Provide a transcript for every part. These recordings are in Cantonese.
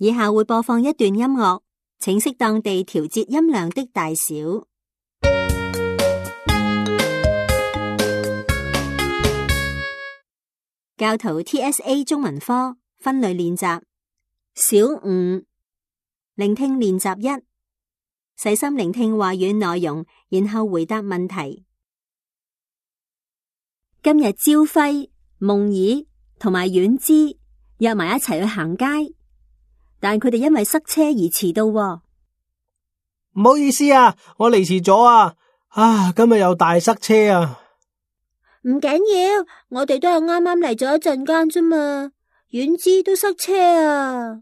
以下會播放一段音樂，請適當地調節音量的大小。教徒 TSA 中文科分類練習小5，聆聽練習1，細心聆聽話語內容，然後回答問題。今日朝輝、夢兒同埋遠之約埋一齊去行街，但佢哋因為塞車而遲到喎。唔好意思啊，我嚟遲咗啊！今日又大塞車啊！唔緊要，我哋都係啱啱嚟咗一陣間啫嘛，遠之都塞車啊！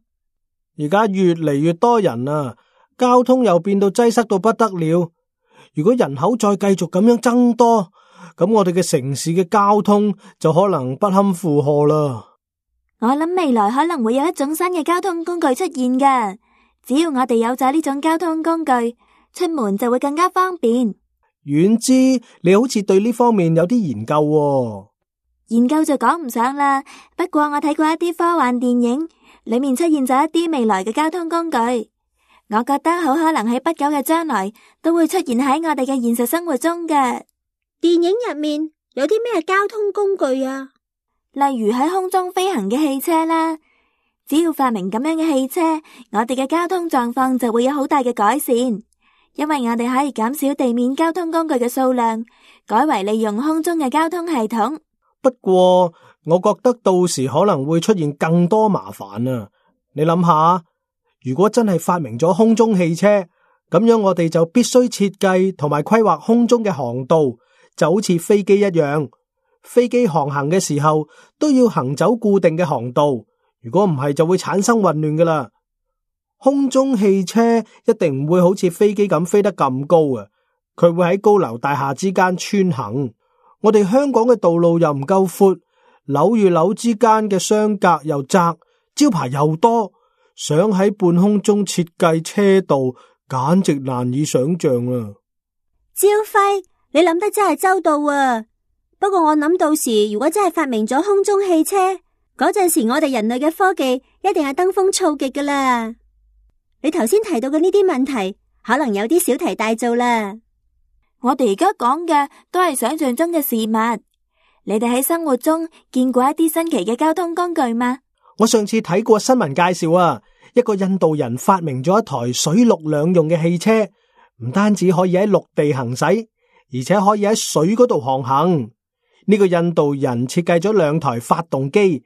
而家越嚟越多人啊，交通又變到擠塞到不得了。如果人口再繼續咁樣增多，咁我哋嘅城市嘅交通就可能不堪負荷啦。我諗未來可能會有一種新嘅交通工具出現㗎，只要我哋有咗呢種交通工具，出門就會更加方便。遠之，你好似對呢方面有啲研究喎。研究就講唔上啦，不過我睇過一啲科幻電影，裏面出現咗一啲未來嘅交通工具，我覺得好可能喺不久嘅將來都會出現喺我哋嘅現實生活中嘅。電影入面有啲咩交通工具啊？例如喺空中飛行嘅汽車啦，只要發明咁樣嘅汽車，我哋嘅交通狀況就會有好大嘅改善。因為我哋可以減少地面交通工具嘅數量，改為利用空中嘅交通系統。不過，我覺得到時可能會出現更多麻煩啊！你諗下，如果真係發明咗空中汽車，咁樣我哋就必須設計同埋規劃空中嘅航道，就好似飛機一樣。飛機航行嘅時候都要行走固定嘅航道，如果唔係就會產生混亂噶啦。空中汽車一定唔會好似飛機咁飛得咁高啊！佢會喺高樓大廈之間穿行。我哋香港嘅道路又唔夠闊，樓與樓之間嘅相隔又窄，招牌又多，想喺半空中設計車道，簡直難以想象啊！朝輝，你諗得真係周到啊！不過我諗到時如果真係發明咗空中汽車，嗰陣時我哋人類嘅科技一定係登峰造極噶啦！你頭先提到嘅呢啲問題，可能有啲小題大做啦。我哋而家講嘅都係想象中嘅事物。你哋喺生活中見過一啲新奇嘅交通工具嗎？我上次睇過新聞介紹啊，一個印度人發明咗一台水陸兩用嘅汽車，唔單止可以喺陸地行駛，而且可以喺水嗰度航行。呢個印度人設計咗兩台發動機，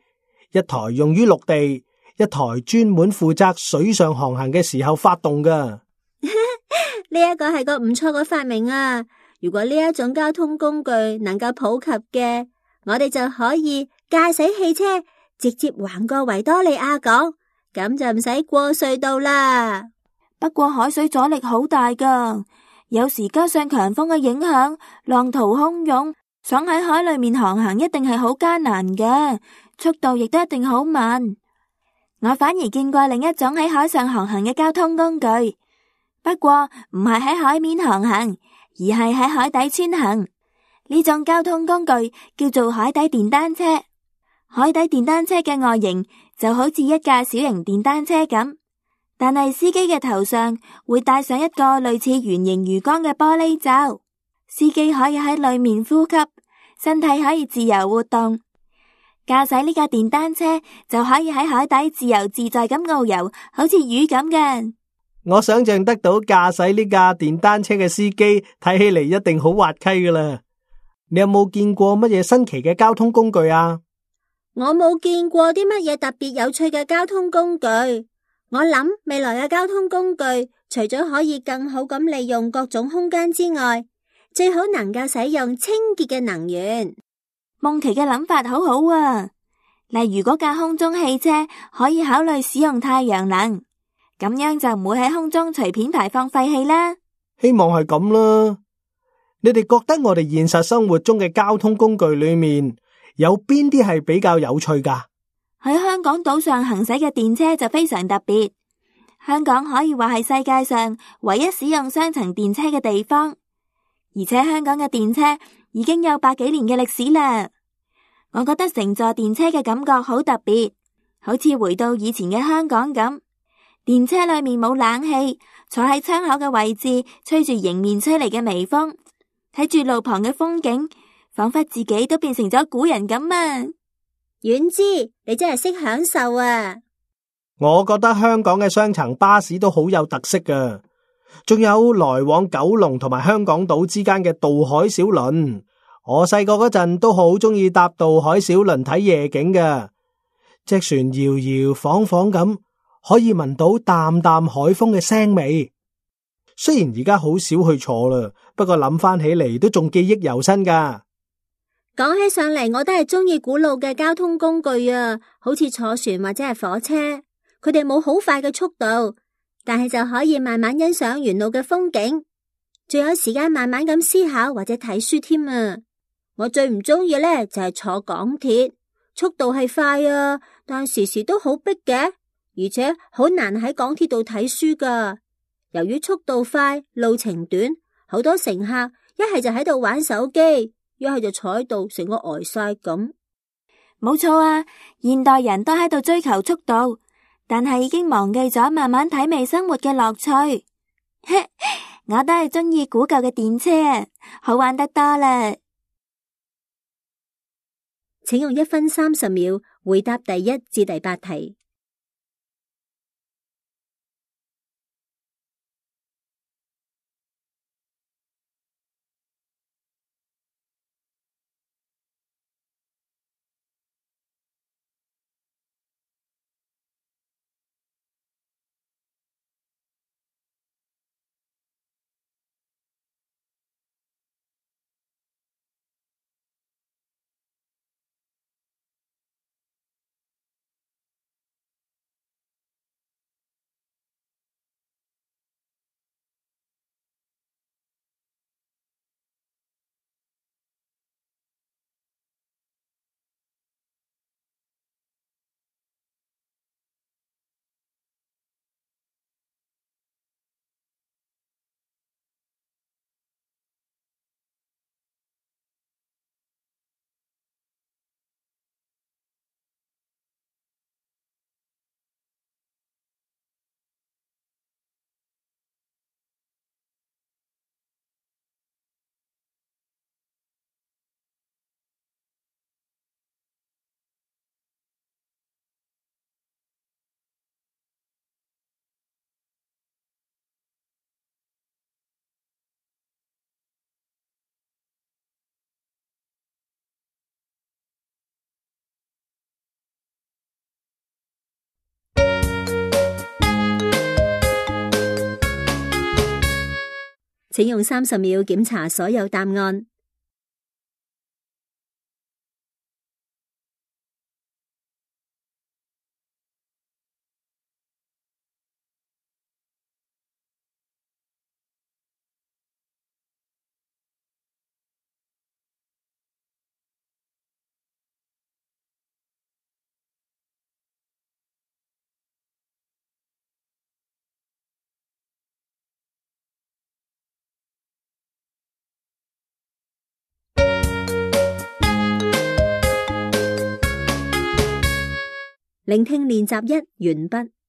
一台用於陸地，一台專門負責水上航行嘅時候發動噶。呢一個係個唔錯嘅發明啊！如果呢一種交通工具能夠普及嘅，我哋就可以駕駛汽車直接橫過維多利亞港，咁就唔使過隧道啦。不過海水阻力好大噶，有時加上強風嘅影響，浪濤洶湧，想喺海裏面航行一定係好艱難嘅，速度亦都一定好慢。我反而見過另一種喺海上航行嘅交通工具，不過唔係喺海面航行，而係喺海底穿行。呢種交通工具叫做海底電單車。海底電單車嘅外形就好似一架小型電單車咁，但係司機嘅頭上會戴上一個類似圓形魚缸嘅玻璃罩，司機可以喺裏面呼吸，身體可以自由活動。駕駛呢架電單車就可以喺海底自由自在咁遨遊，好似魚咁嘅。我想象得到駕駛呢架電單車嘅司機睇起嚟一定好滑稽噶啦。你有冇見過乜嘢新奇嘅交通工具啊？我冇見過啲乜嘢特別有趣嘅交通工具。我諗未來嘅交通工具除咗可以更好咁利用各種空間之外，最好能夠使用清潔嘅能源。夢琪嘅諗法好好啊，例如嗰架空中汽車可以考慮使用太陽能，咁樣就唔會喺空中隨便排放廢氣啦。希望係咁啦。你哋覺得我哋現實生活中嘅交通工具裏面有邊啲係比較有趣噶？喺香港島上行駛嘅電車就非常特別，香港可以話係世界上唯一使用雙層電車嘅地方，而且香港嘅電車已經有100幾年嘅歷史啦。我覺得乘坐電車嘅感覺好特別，好似回到以前嘅香港咁。電車裏面冇冷氣，坐喺窗口嘅位置，吹住迎面吹嚟嘅微風，睇住路旁嘅風景，仿佛自己都變成咗古人咁啊！遠之，你真係識享受啊！我覺得香港嘅雙層巴士都好有特色㗎，仲有來往九龍同埋香港島之間嘅渡海小輪。我細個嗰陣都好中意搭渡海小輪睇夜景㗎，隻船搖搖晃晃咁，可以聞到淡淡海風嘅腥味。雖然而家好少去坐啦，不過諗翻起嚟都仲記憶猶新㗎。講起上嚟，我都係中意古老嘅交通工具啊，好似坐船或者係火車，佢哋冇好快嘅速度，但係就可以慢慢欣賞沿路嘅風景，仲有時間慢慢咁思考或者睇書添啊！我最唔中意呢就係坐港鐵，速度係快啊，但時時都好逼嘅，而且好難喺港鐵度睇書噶。由於速度快，路程短，好多乘客一係就喺度玩手機，一係就坐喺度成個呆晒咁。冇錯啊，現代人都喺度追求速度，但係已經忘記咗慢慢體味生活嘅樂趣。我都係中意古舊嘅電車啊，好玩得多啦。請用1分30秒回答第1至第8題。請用30秒檢查所有答案。聆聽練習1完畢。